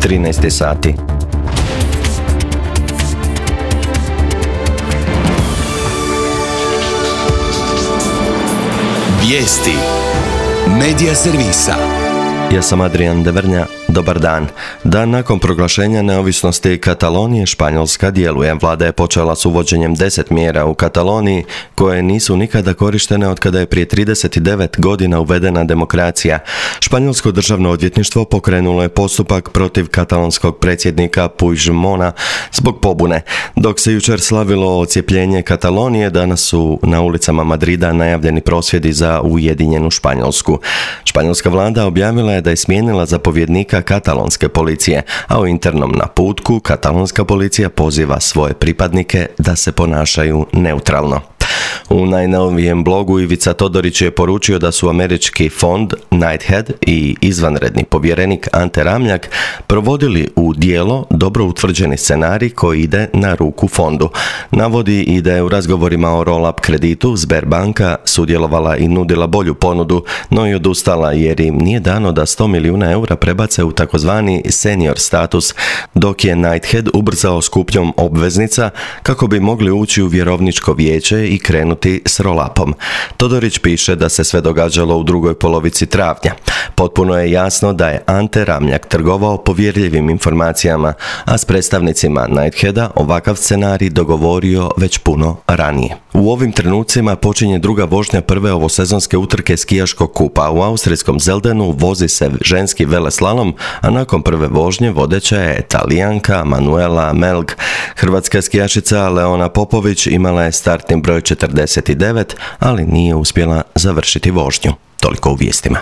13 sati. Vijesti Medija servisa. Ja sam Adrian Devrnja. Dobar dan. Dan nakon proglašenja neovisnosti Katalonije, Španjolska djeluje. Vlada je počela s uvođenjem 10 mjera u Kataloniji koje nisu nikada korištene od kada je prije 39 godina uvedena demokracija. Španjolsko državno odvjetništvo pokrenulo je postupak protiv katalonskog predsjednika Puigdemona zbog pobune. Dok se jučer slavilo odcijepljenje Katalonije, danas su na ulicama Madrida najavljeni prosvjedi za ujedinjenu Španjolsku. Španjolska vlada objavila je da je smijenila zapovjednika katalonske policije, a u internom naputku katalonska policija poziva svoje pripadnike da se ponašaju neutralno. U najnovijem blogu Ivica Todorić je poručio da su američki fond Knighthead i izvanredni povjerenik Ante Ramljak provodili u djelo dobro utvrđeni scenarij koji ide na ruku fondu. Navodi i da je u razgovorima o roll-up kreditu Sberbanka sudjelovala i nudila bolju ponudu, no i odustala jer im nije dano da 100 milijuna eura prebace u takozvani senior status, dok je Knighthead ubrzao s kupnjom obveznica kako bi mogli ući u vjerovničko vijeće i krenuti s roll-upom. Todorić piše da se sve događalo u drugoj polovici travnja. Potpuno je jasno da je Ante Ramljak trgovao povjerljivim informacijama, a s predstavnicima Knightheada ovakav scenarij dogovorio već puno ranije. U ovim trenucima počinje druga vožnja prve ovosezonske utrke skijaškog kupa. U austrijskom Zeldenu vozi se ženski veleslalom, a nakon prve vožnje vodeća je Talijanka Manuela Melg. Hrvatska skijašica Leona Popović imala je startni broj 49, ali nije uspjela završiti vožnju. Toliko u vijestima.